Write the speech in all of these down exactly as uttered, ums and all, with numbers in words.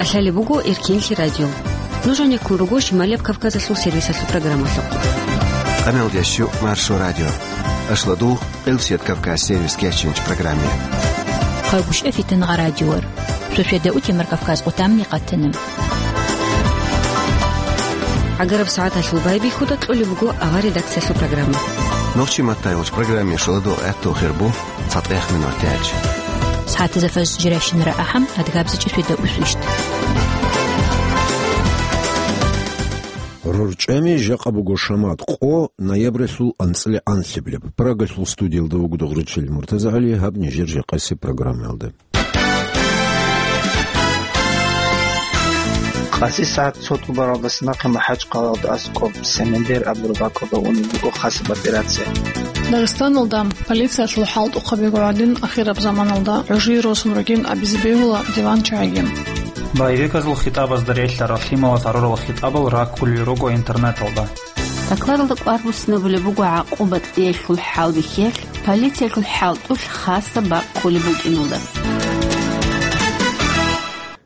КӀалъалеб буго Эркенлъи радио. Нуж гьанеккун руго Шималияб Кавказалъул сервисалъул программалъухъ. Къамелдещу Маршо радио. Ашладугъ, Къилсият Кавказ сервис кечинч программе. Хъагушев Фитангъа радиор. Софида Утемар Кавказ къутамни къатана. ГӀагараб сагӀаталъул байбихьуда кьолеб буго авар редакциялъул программа. Нохчи маттайгъуч программе шоладо гӀатту хирбу. ЦатӀехъ минуталъ. СагӀатазда фажр жирашин рагӀахъан, адгабзичӀеб светда усвищ. РорчӀами жакъа буго шамат къо ноябралъул анцӀила анлъабилеб. Прагалъул студиялда вуго Догъричил МуртазагӀали, гьаб нижер жакъасеб программаялда. Къаси сагӀат цо тӀубаралдаса нахъе МахӀачхъалаялда аскӀоб Семендер абураб бакӀалда унеб буго хасаб операция. Дагъистаналда полициялъул хӀалтӀухъаби гӀадин ахираб заманалда гӀужие росун ругин абизе бегьула диван чагӀиги. Байбеказул хитӀабазда релълъарал лъимала тарурал хитӀабал раккулел руго интернеталда. Докладалда кӀвар буссинабулеб буго гӀакъуба кьеялъул хӀалбихьиялъ, полициялъул хӀалтӀулъ хасаб бакӀ кколеб букӀиналда.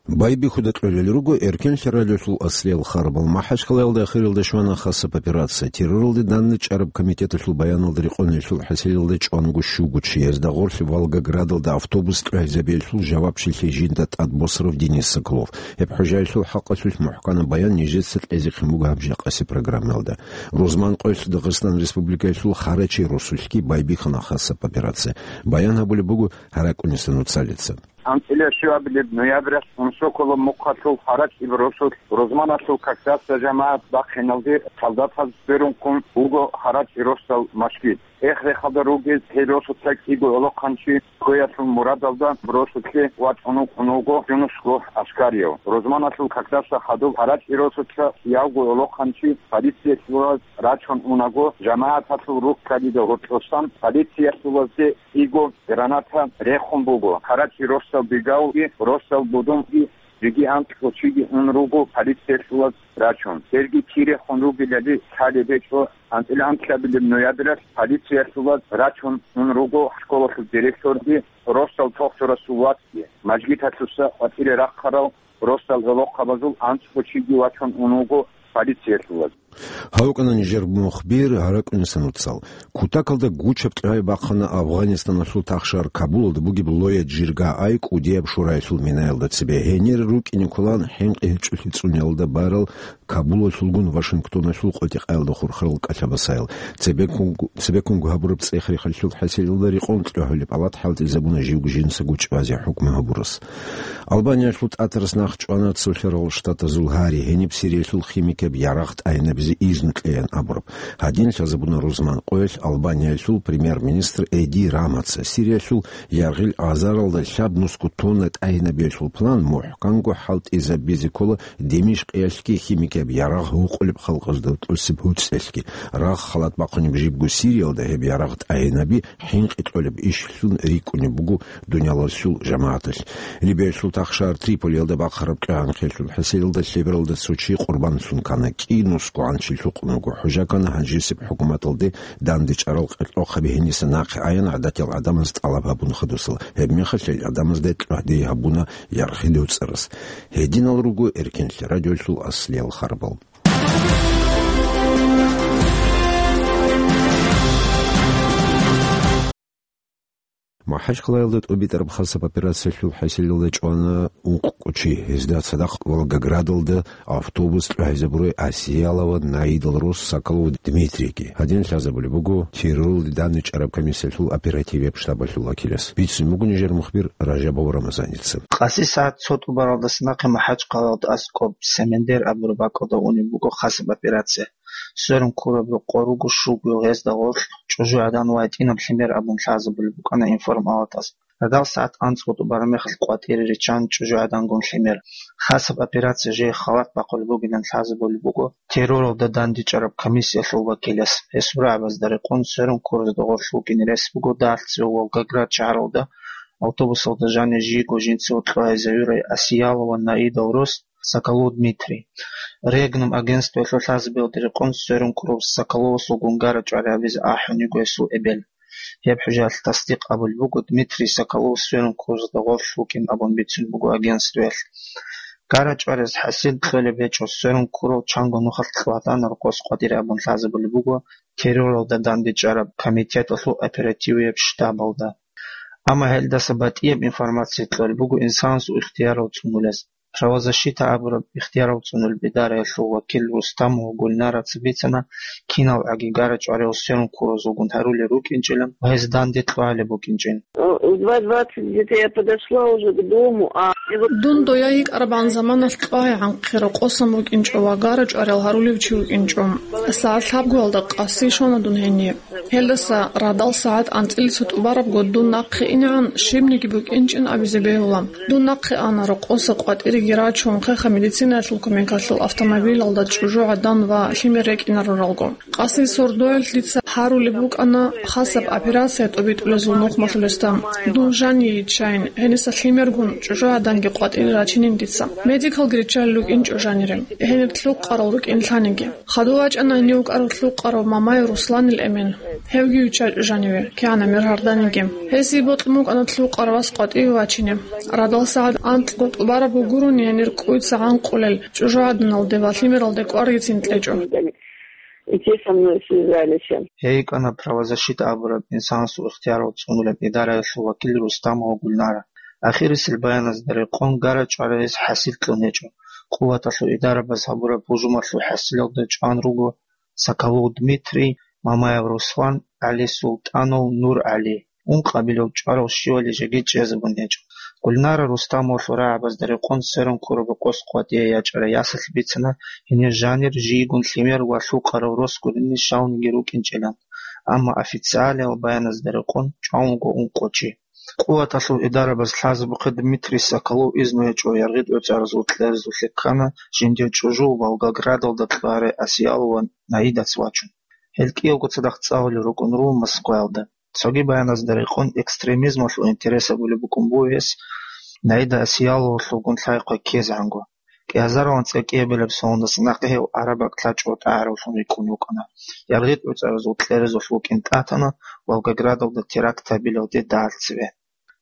Байбихьуда кьолел руго Эркенлъи радиолъул аслиял харбал. МахӀачхъалаялда ахиралда щвана хасаб операция. Терроралде данде чӀараб комитеталъул баяналда рекъон гьелъул хӀасилалда чӀванго щуго чи, гьезда гъорлъ Волгоградалда автобус кьвагьизабиялъул жавабчилъи жинда тӀад босарав Денис Соколов. Гьеб хӀужаялъул хӀакъалъулъ мухӀканаб баян нижеца кьезехъин буго гьаб жакъасеб программаялда. Рузман къоялъ Дагъистан Республикаялъул Харачи росулъги байбихьана хасаб операция. Баян гьабулеб буго ГьаракӀуниса нуцалица. АнцӀила щуабилеб ноябралъ Унсоколо мухъалъул Харачи росулъ Рузманалъул Кагдаса жамагӀат бахъиналде солдатаз сверун ккун вуго Харачи росдал машгид. Эхрехалда ругел гьел росуца кӀиго гӀолохъанчи кквеялъул мурадалда росулъе вачӀун вукӀун вуго Юнусго ГӀаскарияв. Рузманалъул Кагдаса хадуб Харачи росуца явго гӀолохъанчи полициялъулаз рачун унаго, жамагӀаталъул руккалида гьоркьосан полициялъулазде кӀиго граната рехун буго. Харачи росдал Бегавги, росдал Будумги, жеги анкьго чиги ун руго полициялъулаз рачун. Гьелги кирехун ругелали лъалеб гьечӀо. АнцӀила анлъабилеб ноябралъ полициялъулаз рачун ун руго школалъул директорги, росдал Тохчурасул вацги, мажгиталъуса къватӀире рахъарав росдал гӀолохъабазул анцӀго чиги вачун ун вуго полициялъулаз. Гьав вукӀана нижер мухбир ГьаракӀуниса нуцал. Кутакалда гучаб кьвай бахъана Афгъанистаналъул тахшар Кабулалда бугеб Лоя Джирга ай кӀудияб шураялъул минаялда цебе. Гьенир рукӀине кколаан хӀинкъи гьечӀолъи цӀуниялда барал Кабулалъулгун Вашингтоналъул къотӀи-къаялда хурхарал кӀалъабасаял. Цебеккун-, цебеккунго гьабураб цӀех-рехалъул хӀасилалда рекъон кьогьулеб палат хӀалтӀизабуна живго жинцаго чӀвазе хӀукму гьабурас. Албаниялъул тӀатарас нахъ чӀвана Цолъарал Штатазул гьари, гьениб Сириялъул химикияб ярагъ тӀагӀинабизе изну кьеян абураб. Гьадин лъазабуна рузман къоялъ Албаниялъул премьер-министр Эди Рамаца. Сириялъул яргъил азаралда лъабнусго тонна тӀагӀинабиялъул план мухӀканго хӀалтӀизабизе ккола Димишкъиялъги химикияб ярагъ гьукъулеб халкъазда тӀосеб гьуцӀиялъги. Рагъ халат бахъунеб жибго Сириялда гьеб ярагъ тӀагӀинаби хӀинкъи кьолеб ишлъун рикӀкӀунеб буго дуниялалъул жамагӀаталъ. Либиялъул тахшар Триполиялда бахъараб кьегӀанхъиялъул хӀасилалда лъебералда цо чи къурбанлъун ккана, кӀинусго гӀанчи лъукъун вуго. ХӀужа ккана гьанжесеб хӀукуматалде дандечӀарал къеркьохъаби гьениса нахъе аян гӀадатиял гӀадамаз тӀалаб гьабун хадусал. Гьебмехалъ гьел гӀадамазда кьвагьде гьабуна яргъи доцӀарас. Гьединал руго Эркенлъи радиолъул аслиял харбал. МахӀачхъалаялда тӀубитӀараб хасаб операциялъул хӀасилалда чӀвана ункъго чи. Гьезда цадахъ Волгоградалда автобус кьвагьизабурай Асиялова Наидал рос Соколов Дмитрийги. Гьадин лъазабулеб буго терроралде дандечӀараб комиссиялъул оперативияб штабалъул вакилас. Бицун буго нижер мухбир Ражабов Рамазаница. Къаси сагӀат цо тӀубаралдаса нахъе МахӀачхъалаялда аскӀоб Семендер абураб бакӀалда унеб буго хасаб операция. Сверун ккураб рокъор руго щуго, гьезда гъорлъ чӀужугӀадан ва гьитӀинаб лъимер абун лъазабулеб букӀана информалатаз. Радал сагӀат анцӀго тӀубараб мехалъ къватӀире риччан чӀужугӀадангун лъимер. Хасаб операция жеги халат бахъулеб бугилан лъазабулеб буго терроралда дандечӀараб комиссиялъул вакилас. Гьесул рагӀабазда рекъон сверун ккуразда гъорлъ вукӀине рес буго дагьалъ цеве Волгоград шагьаралда автобусалда жанив жийго жинцаго кьвагьизавурай Асиялова Наидал рос Соколов Дмитрий. Регнум агентствоялъул лъазабиялда рекъон сверун ккурав Соколовасул гунгара чӀвари гьабизе ахӀун йиго гьесул эбел. Гьеб хӀужаялъ тасдикъ абулеб буго, Дмитрий Соколов сверун ккуразда гъорлъ вукӀин абун бицун буго агентствоялъ. ЧӀара-чӀвариялъ хӀасил кьолеб гьечӀо, сверун ккурал чанго нухалъ кьвагьана рокъос къватӀире абун лъазабулеб буго терроралда дандечӀараб комитеталъул оперативияб штабалда. Амма гьелдаса батӀияб информация кьолеб буго инсанасул ихтиярал цӀунулес. Правозащита абураб ихтиярал цӀунулеб идараялъул вакил Рустамова Гульнараца бицана, киналгӀаги гара-чӀвариялъ сверун ккуразулгун гьарулел рукӀинчӀилан ва гьез данде кьвагьалеб букӀинчӀин. Э, в два двадцать где-то я подошла уже к дому, а Дун дояй йикӀарабгӀан заманалъ кьвагьи гӀанхъе рокъосан вукӀинчӀо ва гара-чӀвариялъ гьарулев чи вукӀинчӀо. СагӀат лъабгоялда къаси щвана дун гьениб. Гьелдаса радал сагӀат анцӀила цо тӀубарабго дун нахъе инегӀан щибниги букӀинчӀин абизе бегьула. Дун нахъе ана, рокъоса къватӀиреги рачун, хеха медицинаялъул кумекалъул автомобилалда чӀужугӀадан ва лъимер рекӀинаруралго. Къаси сордоялъ дица гьарулеб букӀана хасаб операция тӀобитӀулезул нухмалъулесда. Дун жанив йиччайин, гьениса лъимергун чӀужугӀаданги къватӀире рачинин дица. Медикалги риччалел рукӀинчӀо жанире, гьенир лъукъарал рукӀин лъаниги. Хадув вачӀана гьенив вукӀарав лъукъарав Мамаев Русланил эмен. Гьевги виччачӀо жаниве, кигӀан гӀемер гьарданиги. Гьесие бокьун букӀана лъукъарав вас къватӀиве вачине. Радал сагӀат анкьго тӀубараб гурони гьенир кӀуйца гӀанкъулел чӀужугӀаданалде ва лъимералде кӀваргицин кьечӀо. И те со мной связались. Гьей йикӀана правозащита абураб инсанасул ихтиярал цӀунулеб идараялъул вакил Рустамова Гульнара. Ахирисел баяназда рекъон гара-чӀвариялъ хӀасил кьун гьечӀо. Къуваталъул идарабаз гьабураб гьужумалъул хӀасилалда чӀван руго Соколов Дмитрий, Мамаев Руслан, ГӀали Султанов, НургӀали. Ункъабилев чӀварав щивали жеги чӀезабун гьечӀо. Гульнара Рустамовалъул рагӀабазда рекъон сверун ккураб къос къватӀие ячӀарай ясалъ бицана, гьенир жанир жийгун лъимер ва лъукъарав рос гуринни щавниги рукӀинчӀилан, амма официалиял баяназда рекъон чӀван вуго ункъо чи. Къуваталъул идарабаз лъазабухъе Дмитрий Соколов изну гьечӀо яргъи тӀоцӀаразул кьерезулъе ккана, жиндир чӀужу Волгоградалда кьвагӀарай Асиялова Наидаца вачун. Гьел кӀиявго цадахъ цӀалулел рукӀун руго Москваялда. Цоги баяназда рекъон экстремизмалъул интерес гьабулеб букӀун буго гьес, Наида Асияловалъулгун лъай-хъвай ккезегӀанго. КӀиазаралан цӀакӀиябилеб соналдаса нахъе гьев Араб бакӀ лъачӀого тӀагӀаравлъун рикӀкӀун вукӀана. Яргъи тӀоцӀаразул кьерезулъ вукӀин тӀатана Волгоградалда теракт гьабилалде дагьал цеве.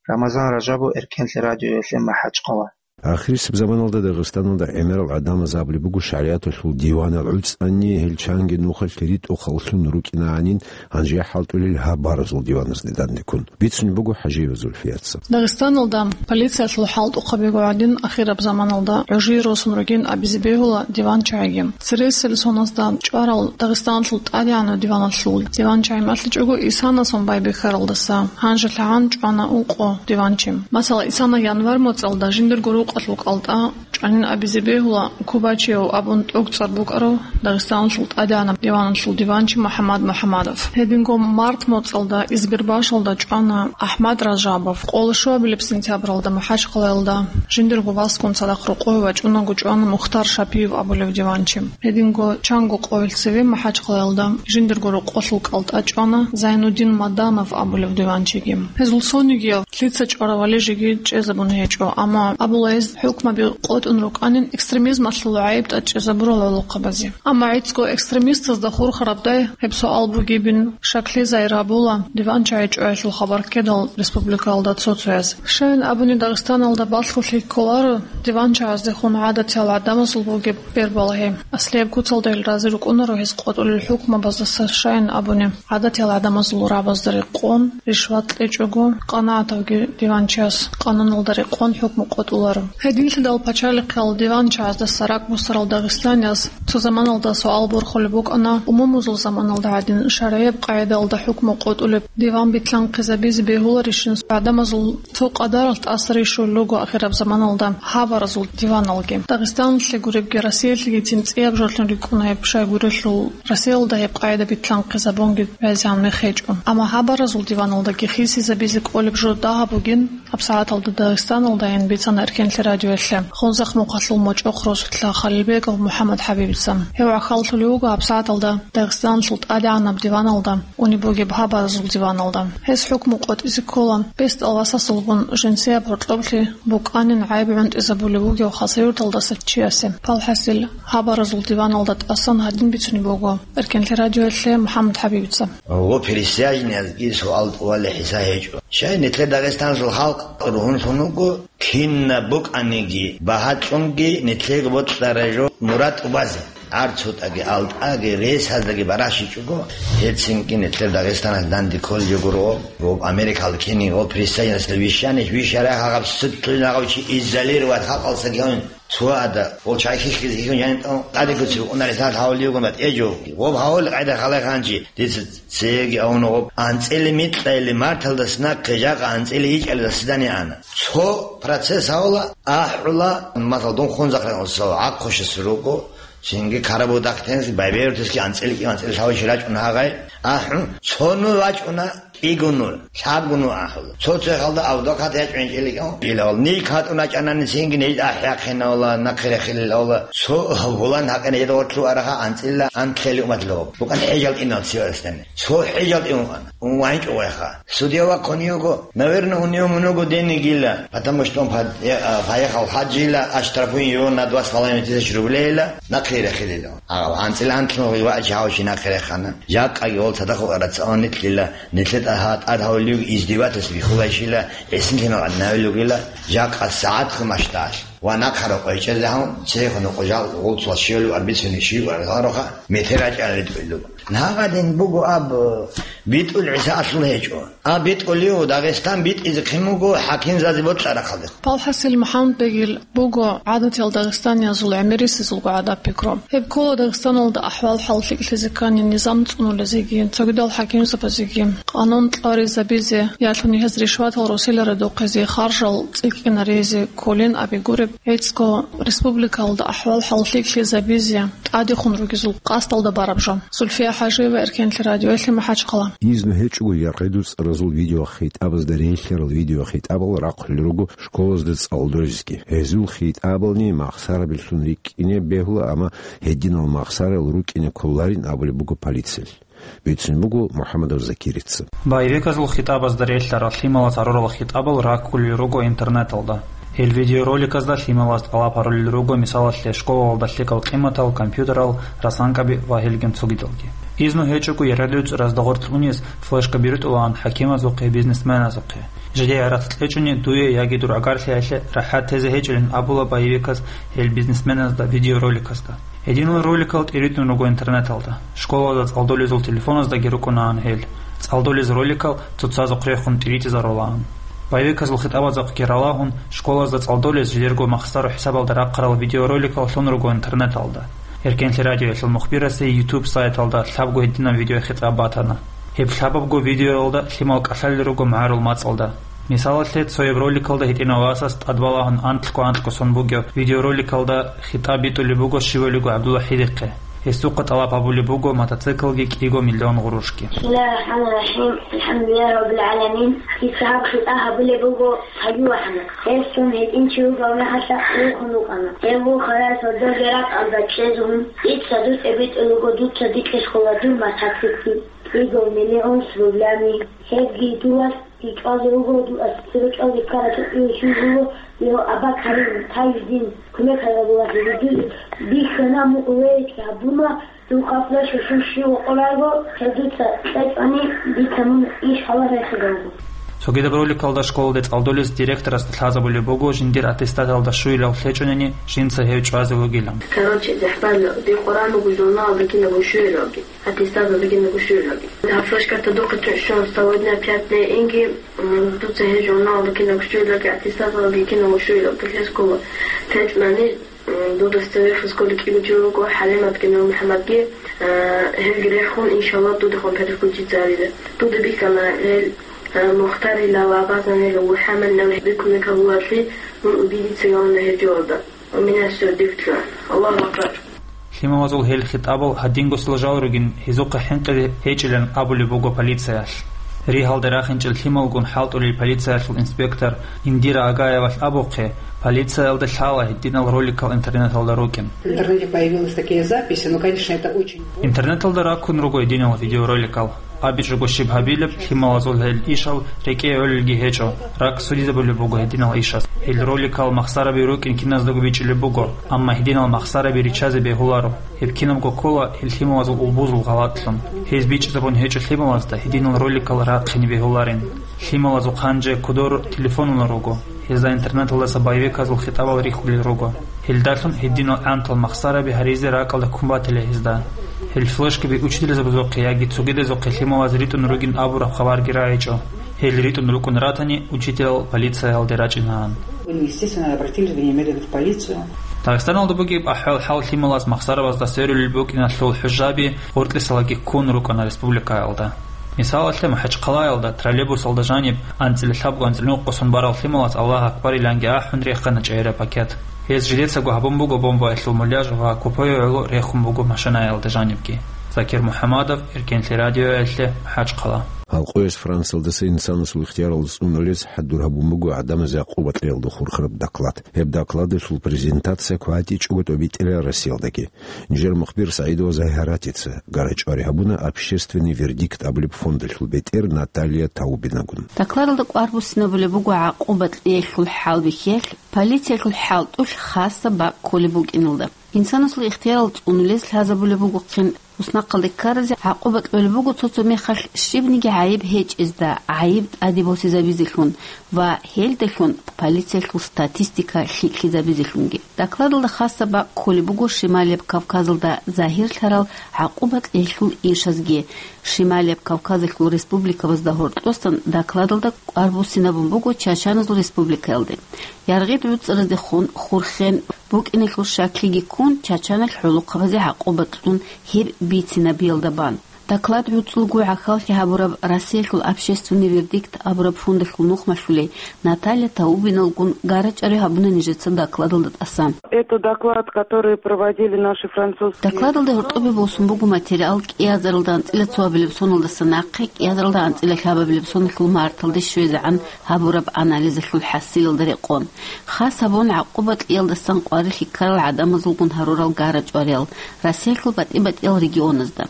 Рамазан Ражабов, Эркенлъи радиоялъе, МахӀачхъала. Ахирисеб заманалда Дагъистаналда гӀемерал гӀадамаз абулеб буго шаригӀаталъул диванал гӀуцӀани, гьел чанги нухалъ ритӀухъаллъун рукӀинагӀанин, гьанже хӀалтӀулел гьаб баразул диваназде дандеккун. Бицунеб буго ХӀажиева Зульфияца. Дагъистаналда полициялъул хӀалтӀухъабиго гӀадин, ахираб заманалда гӀужие росун ругин абизе бегьула диванчагӀиги. Цересел соназда чӀварал Дагъистаналъул тӀадегӀанав диваналъул диванчагӀи малъичӀого Исанасон байбихьаралдаса гьанжелъагӀан чӀвана ункъо диванчи. Масала, Исана январь моцӀалда жиндирго рукъалъул кӀалтӀа чӀванин абизе бегьула Кубачиев абун тӀоцӀар букӀарав Дагъистаналъул тӀадегӀанаб диваналъул диванчи МухӀаммад МухӀаммадов. Гьединго март моцӀалда Избербашалда чӀвана АхӀмад Ражабов. Къоло щуабилеб сентябралда МахӀачхъалаялда жиндирго васгун цадахъ рокъове вачӀунаго чӀвана Мухтар Шапиев абулев диванчи. Гьединго чанго къоялъ цеве МахӀачхъалаялда жиндирго рокъолъул кӀалтӀа чӀвана Зайнудин Маданов абулев диванчиги. Гьезул цонигияв лъица чӀваравали жеги чӀезабун гьечӀо, амма абула гьез хӀукмаби къотӀун рукӀанин экстремизмалъул гӀайиб тӀад чӀезабурал гӀолохъабазе. Амма гӀицӀго экстремистазда хурхарабдай гьеб суал бугебин шаклъи загьир гьабула диванчагӀи чӀваялъул хабар ккедал республикаялда цо-цояз. Щайин абуни, Дагъистаналда балъголъи кколаро диванчагӀаздехун гӀадатиял гӀадамазул бугеб бер балагьи. Аслияб куцалда гьел рази рукӀунаро гьез къотӀулел хӀукмабаздаса, щайин абуни, гӀадатиял гӀадамазул рагӀабазда рекъон, ришват кьечӀого, къанагӀатавги диванчияс къануналда рекъон хӀукму къотӀуларо. Гьединлъидал пачалихъал диванчагӀаздаса ракӀбусарал дагъистанияс цо заманалда суал борхулеб букӀана, умумузул заманалда гӀадин шаргӀияб къагӀидаялда хӀукму къотӀулеб диван битлъанхъизабизе бегьуларищин гӀадамазул цо къадаралъ тӀаса рищулел руго ахираб заманалда гьабаразул диваналги. Дагъистаналъе гуребги, Россиялъегицин цӀияб жолъун рикӀкӀуна гьеб, щайгурелъул Россиялда гьеб къагӀида битлъанхъизабунги вязан мехечӀо. Амма гьабаразул диваналдаги хисизабизе кӀолеб жо дагьаб бугин, гьабсагӀаталда Дагъистаналдайин бицана Эркенлъи радиоялъе. Хунзахъ-Мухъалъул мочӀохъ росулъа Халилбегов МухӀаммад ХӀабибица. Гьев гӀахьаллъулев вуго гьабсагӀаталда Дагъистаналъул тӀадегӀанаб диваналда, унеб бугеб гьабаразул диваналда. Гьес хӀукму къотӀизе ккола, бесдал васасулгун жинсияб гьоркьоблъи букӀанин гӀайиб гӀунтӀизабулев вугев Хасавюрталдаса чиясе. Палхасил, гьабаразул диваналда тӀасан гьадин бицунеб буго Эркенлъи радиоялъе МухӀаммад ХӀабибица. Гьо, пересаженныйзги суал тӀувалел хӀисаб гьечӀо. Щай нилъеда Дагъистаналъул халкъ ругьунлъун вуго, кинаб букӀаниги, багьа кьунги, нилъего бокьарай жо мурад тӀубазе. ГӀарцутӀаги, алтӀаги, ресаздаги баращичӀого, гьецинги нилъер Дагъистаналъ данде кколеб гуро, ва Америкалда ккани, ва присоединиться вищани, вищарай гьаб ситлъи гьав чи изолировать халкъалъа гьавин. Цо ада, гъол чай хихьизе хихьун жаниб тӀун, тӀаде куци букӀунаре сал гьавулев гуна тӀежо. Гъоб гьавул къайда халай ханчи, дица цеги авуна гъоб. АнцӀили микьайли марталдас нахъе жакъа анцӀили ичӀалда свидание ана. Цо процесс гьавула, ахӀула, масал, дун хунзахъе гӀакхъушас руго, цинги карабудахъ тенси, байберутаски анцӀили кӀи анцӀили лъавищи рачӀун гьагъай, ахӀун, цо ну вачӀуна, кӀигуну, лъабгуну ахӀула. Цо-цо халда авдакъат ячӀун чӀиликӀун, илавал. Нилъ гьатӀун рачӀанани цинги нилъ ахӀяхъинавла, нахъе рехилилавла. Цо гьабулан гьакъина едгъорлъу араха анцӀила анлъели уматлъугъаб. Букъан хӀежал инал циварасдани. Цо хӀежал инукъана. УнвайчӀо вайха. Судья вахъун йиго, наверное, у него много денег ила, потому что он под-, э, а, поехал в хадж ила, оштрафуем его на два с половиной тысяч рублей ила, нахъе рехилила. А анцӀила анлъун гъивачи гьавши нахъе рехана. Жакъаги гъол цадахъ вукӀарацаун нилъила. Нилъер тӀагьа-, тӀад гьавулев издевательство бихьулайщила, гӀисин лъимал гӀаднавилугила, жакъа сагӀат хъумашталъ ва нахъа рокъой чӀезе гьавун, цехун къужал гъулцула щивалев арбицунев щив аргъароха, метер рачӀарал ритӀуллуго. Нагъадин буго аб, битӀул ГӀиса алъул гьечӀо. А битӀулев, Дагъистан битӀизе хъин буго хӀакимзазе бокьарахъалде. Палхасил МухӀаммадбегил буго гӀадатиял дагъистаниязул гӀемерисезулго гӀадаб-пикру. Гьеб ккола Дагъистаналда ахӀвал-хӀал лъикӀлъизеккани низам цӀунулезеги, цогидал хӀакимзабазеги къанун кьаризабизе, ялъуни гьез ришватал росиларе духъизе, харжал цӀикӀкӀинаризе кколин абигуреб, гӀицӀго республикалда ахӀвал-хӀал лъикӀлъизабизе тӀадехун ругезул къасдалда бараб жо. Зульфия ХӀажиева, Эркенлъи радиоялъе, МахӀачхъала. Изну гьечӀого яргъи дуцӀаразул видеохитӀабазда релълъарал видеохитӀабал рахъулел руго школазда цӀалдолезги. Гьезул хитӀабални махсарабилъун рикӀкӀине бегьула, амма гьединал махсарал рукӀине кколарин абулеб буго полициялъ. Бицун буго МухӀаммадов Закирица. Боевиказул хитӀабазда релълъарал лъималаз гьарурал хитӀабал раккулел руго интернеталда. Гьел видеороликазда лъималаз тӀалаб гьарулел руго, мисалалъе, школалда лъикӀал къиматал, компьютерал, расанкаби ва гьелгун цогидалги. Изну гьечӀого яргъи дуцӀаразда гъорлъ унез флешкаби рутӀулаан хӀакимазухъе, бизнесменазухъе. Жидее гӀарац кьечӀони, дуе яги дур агарлъиялъе рахӀат тезе гьечӀилин абула боевиказ гьел бизнесменазда видеороликазда. Гьединал роликал тӀиритӀун руго интернеталда. Школазда цӀалдолезул телефоназдаги рукӀунаан гьел. ЦӀалдолез роликал цоцазухъ рехун тӀиритӀизарулаан. Боевиказул хитӀабазухъги ралагьун, школазда цӀалдолез жидерго махсару хӀисабалда рахъарал видеороликал лъун руго интернеталда. Эркенлъи радиоялъул мухбирасе YouTube сайталда лъабго гьединаб видеохитӀаб батана. Гьеб лъабабго видеоялда лъимал кӀалъалел руго магӀарул мацӀалда. Мисалалъе, цояб роликалда гьитӀинав васас тӀадбалагьун анкьго-анкьго сон бугеб видеороликалда хитӀаб битӀулеб буго щивалиго ГӀабдулла ХӀидихъе. Гьесухъа тӀалаб гьабулеб буго мотоциклги кӀиго миллион гъурушги. بسم الله الرحمن الرحيم. الحمد لله رب العالمين. Дица гьаб хитӀа гьабулеб буго гьабилагьана. Гьесун гьитӀинчи вугев мехалъа вухун вукӀана. Гьев вухарай сордоги ракӀалда чӀезегӀан, дица дутӀе битӀулего дуца дикье щола дур мотоцикл кӀиго миллион рублями. Гьебги дулас ИкӀалде вуго дуца церекӀалде ккараб чӀухӀиялъул вуго, гьев Абакарил Таждин кумек гьабула гьеб дуе. Бихьана мукъулейги гьабуна, духъа флешка щущи вокъорайго, гьев дуца кьечӀони, дица мун иш гьаларахъе буго. Цогидаб роликалда школалде цӀалдолез директорасда лъазабулеб буго жиндир аттестаталда щуялъ лъечӀонани жинца гьев чӀвазе вугилан. Короче, дехбалла, дир Къуран буго журналалда кинабго щуялъги. Аттестаталда кинабго щуялъги. Гьаб флешкарта духъе щун сегодня пять дней инги, м, дуца гьеб журналалда кинабго щуялъги, аттестаталдаги кинабго щуялъги лъезе ккола. ЛъечӀонани, м, дуда цевехъ сколи кӀиго чи вуго, ХӀалиматги НурмухӀамадги, э, гьелги рехун, иншаллагь, дудехун переключиться гьавила. Дуда бихьана гьел, э, Мухтарилал абазанил МухӀаммадилал гьеб кумек гьабулареблъи, мун убедиться гьавуна гьеб жоялда. У меня всё дихло. Аллаху акбар. Лъималазул гьел хитӀабал гьадингосила жал ругин, гьезухъе хӀинкъизе гьечӀилан абулеб буго полициялъ. Ригьалде рахинчӀел лъималгун хӀалтӀулел полициялъул инспектор Индира Агаевалъ абухъе, полициялда лъала гьединал роликал интернеталда рукӀин. В интернете появилась такая запись, ну, конечно, это очень... Интернеталда раккун руго гьединал видеороликал. АбичӀого щиб гьабилеб, лъималазул гьел ишал рекӀее гӀолелги гьечӀо, ракӀ судизабулеб буго гьединал ишаз. Гьел роликал махсараби рукӀин киназдаго бичӀчӀулеб буго, амма гьединал махсараби риччазе бегьуларо. Гьеб кинабго ккола гьел лъималазул улбузул гъалатӀлъун. Гьез бичӀчӀизабун гьечӀо лъималазда гьединал роликал рахъине бегьуларин. Лъималазухъ гьанже кодор телефонал руго. Гьезда интернеталдаса боевиказул хитӀабал рихьулел руго. Гьелдалъун гьединал гӀантал махсараби гьаризе ракӀалда ккун батила гьезда. Гьел флешкаби учителзабазухъе яги цогидазухъе лъималаз ритӀун ругин абураб хабарги рагӀичӀо. Гьел ритӀун рукӀун ратани, учителал полициялде рачӀинагӀан. Естественно, обратились бы немедленно в полицию. Дагъистаналда бугеб ахӀвал-хӀал лъималаз махсарабазда сверулел букӀиналъул хӀужаби гъоркьисалаги ккун рукӀана республикаялда. Мисалалъе, МахӀачхъалаялда троллейбусалда жаниб анцӀила лъабго-анцӀила нукъасан барал лъималаз «Аллагь акбар» иланги ахӀун рехана чӀегӀераб пакет. Гьез жидецаго гьабун буго бомбаялъул муляж ва купое гӀоло рехун буго машинаялда жанибги. Закир МухӀаммадов, Эркенлъи радиоялъе, МахӀачхъала. Гьал къояс Франциялдаса инсанасул ихтиярал цӀунулез хӀадур гьабун буго гӀадамазе гӀакъуба кьеялда хурхараб доклад. Гьеб докладалъул презентация кватӀичӀого тӀобитӀила Россиялдаги. Нижер мухбир СагӀидова Загьаратица гарачӀвари гьабуна «Общественный вердикт» абулеб фондалъул бетӀер Наталья Таубинагун. Докладалда кӀвар буссинабулеб буго гӀакъуба кьеялъул хӀалбихьиялъ, полициялъул хӀалтӀулъ хасаб бакӀ кколеб букӀиналда. Инсанасул ихтиярал цӀунулез лъазабулеб бугохъин туснахъалде ккаразе гӀакъуба кьолеб буго цо-цо мехалъ щибниги гӀайиб гьечӀезда гӀайиб тӀаде босизабизелъун ва гьелдалъун полициялъул статистика лъикӀлъизабизелъунги. Докладалда хасаб бакӀ кколеб буго Шималияб Кавказалда загьирлъарал гӀакъуба кьеялъул ишазги. Шималияб Кавказалъул республикабазда гьоркьосан докладалда кӀвар буссинабун буго Чачаназул республикаялде. Яргъид гӀуцӀраздехун хурхен букӀиналъул щаклъиги ккун, Чачаналъ гӀолохъабазе гӀакъуба кьун гьеб бицинабиялда бан. Доклад гӀуцӀулго гӀахьаллъи гьабураб Россиялъул «Общественный вердикт» абураб фондалъул нухмалъулей Наталья Таубиналгун гарачӀари гьабуна нижеца докладалда тӀасан. Это доклад, который проводили наши французские... Докладалда гьоркьобе босун буго материал кӀиазаралда анцӀила цоабилеб соналдаса нахъе кӀиазаралда анцӀила лъабабилеб соналъул марталде щвезегӀан гьабураб анализалъул хӀасилалда рекъон. Хас гьабун гӀакъуба кьеялдасан къварилъи ккарал гӀадамазулгун гьарурал гарачӀвариял Россиялъул батӀи-батӀиял регионазда.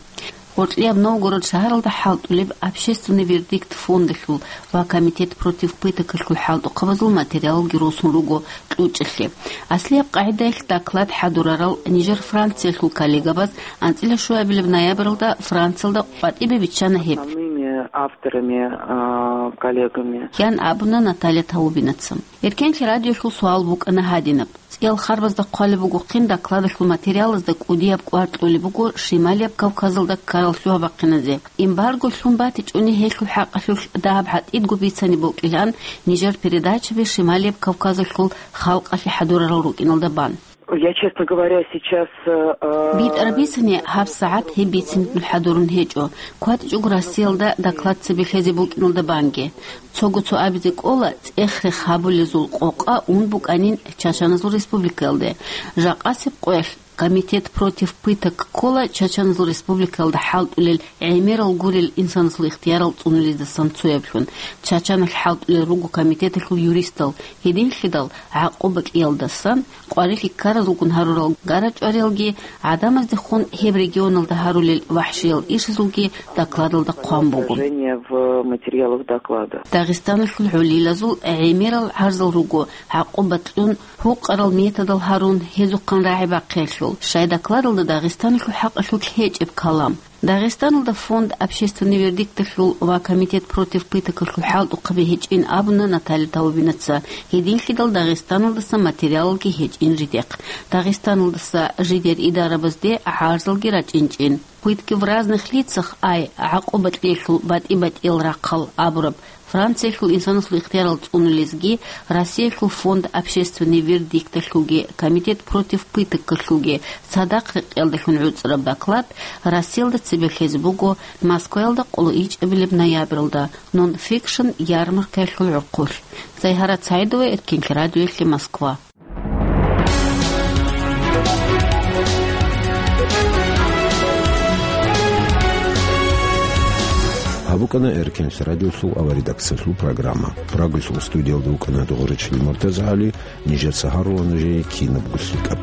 Гъоркьияб Новгород шагьаралда хӀалтӀулеб «Общественный вердикт» фондалъул ва «Комитет против пыток»алъул хӀалтӀухъабазул материалалги росун руго кьучӀалъе. Аслияб къагӀидаялъ доклад хӀадурарал нижер Франциялъул коллегабаз анцӀила щуабилеб ноябралда Франциялда къватӀибе биччана гьеб. Основными авторами, а, коллегами. Ян абуна Наталья Таубинаца. Эркенлъи радиолъул суал букӀана гьадинаб. ЦӀиял харбазда хъвалеб бугохъин докладалъул материалазда кӀудияб кӀвар кьолеб буго Шималияб Кавказалда ккарал лъугьа-бахъиназе. Эмбарго лъун батичӀони гьелъул хӀакъалъулъ дагьаб гьатӀидго бицани бокӀилан нижер передачаби Шималияб Кавказалъул халкъалъе хӀадурарал рукӀиналда бан. Я, честно говоря, сейчас, э, э, БитӀараб бицани гьабсагӀат гьеб бицинлъун хӀадурун гьечӀо, кватӀичӀого Россиялда доклад цебе лъезе букӀиналда банги. Цого цо абизе кӀола, цӀех-рех гьабулезул къокъа ун букӀанин Чачаназул республикаялде. Жакъасеб къоялъ «Комитет против пыток» ккола Чачаназул республикаялда хӀалтӀулел гӀемерал гурел инсанасул ихтиярал цӀунулездасан цояблъун. Чачаналъ хӀалтӀулел руго комитеталъул юристал, гьединлъидал гӀакъуба кьеялдасан къварилъи ккаразулгун гьарурал гарачӀвариялги, гӀадамаздехун гьеб регионалда гьарулел вахӀшиял ишазулги докладалда хъван буго. Отражение в материалах доклада. Дагъистаналъул гӀолилазул гӀемерал гӀарзал руго, гӀакъуба кьун, гьукъарал методал гьарун, гьезухъан рагӀи бахъиялъул. Щай докладалда Дагъистаналъул хӀакъалъулъ гьечӀеб калам. Дагъистаналда фонд «Общественный вердикт»алъул ва «Комитет против пыток»алъул хӀалтӀухъаби гьечӀин абуна Наталья Таубинаца, гьединлъидал Дагъистаналдаса материалалги гьечӀин жидехъ. Дагъистаналдаса жидер идарабазде гӀарзалги рачӀинчӀин. «Пытки в разных лицах», ай, «ГӀакъуба кьеялъул батӀи-батӀиял рахъал» абураб Франциялъул инсанасул ихтиярал цӀунулезги, Россиялъул фонд «Общественный вердикт»алъулги, «Комитет против пыток»алъулги цадахъ рекъелдалъун гӀуцӀараб доклад Россиялда цебе лъезе буго Москваялда къоло ичӀабилеб ноябралда нон-фикшн ярмаркаялъул гӀурхъулъ. Зайгьарат СагӀидова, Эркенлъи радиоялъе, Москва. Гьаб букӀана Эркенлъи радиолъул авария редакциялъул программа. Прагалъул студиялда вукӀана Дугъуричил МуртазагӀали, нижеца гьарула нужее кинабго лъикӀаб.